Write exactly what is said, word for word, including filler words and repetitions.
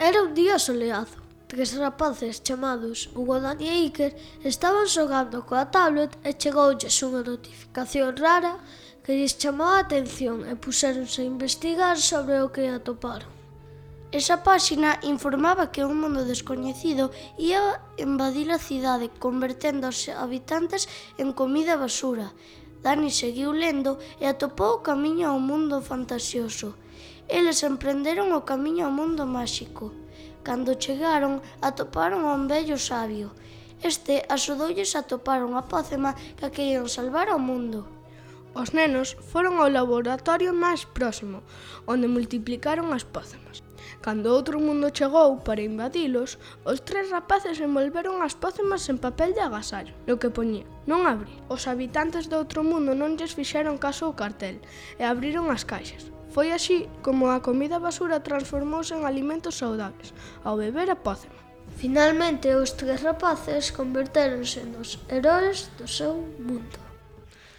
Era un día soleado. Tres rapaces chamados Hugo, Dani e Iker estaban xogando coa tablet e chegoulles unha notificación rara que lles chamou a atención e puxéronse a investigar sobre o que atoparon. Esa páxina informaba que un mundo descoñecido ia invadir a cidade, convertendo aos habitantes en comida basura. Dani seguiu lendo e atopou o camiño ao mundo fantasioso. Eles emprenderon o camiño ao mundo máxico. Cando chegaron, atoparon a un vello sabio. Este axudoulles a atopar unha pócima que querían salvar ao mundo. Os nenos foron ao laboratorio máis próximo, onde multiplicaron as pócemas. Cando outro mundo chegou para invadilos, os tres rapaces envolveron as pócemas en papel de agasallo, no que poñía non abrir. Os habitantes do outro mundo non lles fixeron caso ao cartel e abriron as caixas. Foi así como a comida basura transformouse en alimentos saudables, ao beber a pócema. Finalmente, os tres rapaces convertéronse nos heróis do seu mundo.